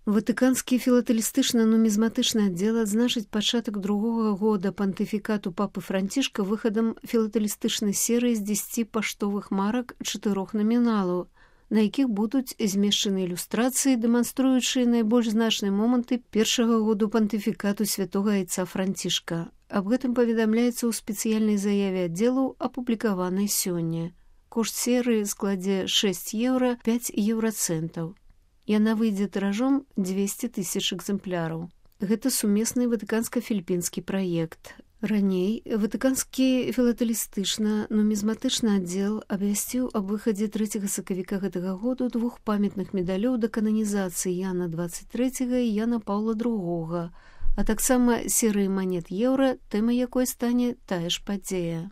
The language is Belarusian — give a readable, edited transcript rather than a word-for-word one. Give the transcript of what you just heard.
Ватыканскі філатэлістычна-нумізматычны аддзел адзначыць пачатак другога года пантыфікату папы Францішка выхадам філатэлістычнай серыі з 10 паштовых марак 4 наміналаў, на якіх будуць змешчаны ілюстрацыі, дэманструючыя найбольш значныя моманты першага году пантыфікату святога айца Францішка. Аб гэтым паведамляецца ў спецыяльнай заяве аддзелу, апублікаванай сёння. Кошт серыі складзе 6 еўра 5 еўрацэнтаў. Яна выйдзе тыражом 200 000 экземпляраў. Гэта сумесны ватыканска-філіпінскі праект. Раней ватыканскі філатэлістычна-нумізматычны аддзел абвясціў аб выхадзе 3 сакавіка гэтага году 2 памятных медалёў да кананізацыі Яна 23 і Яна Паўла II, а таксама серыі манет еўра, тэма якой стане тая ж падзея.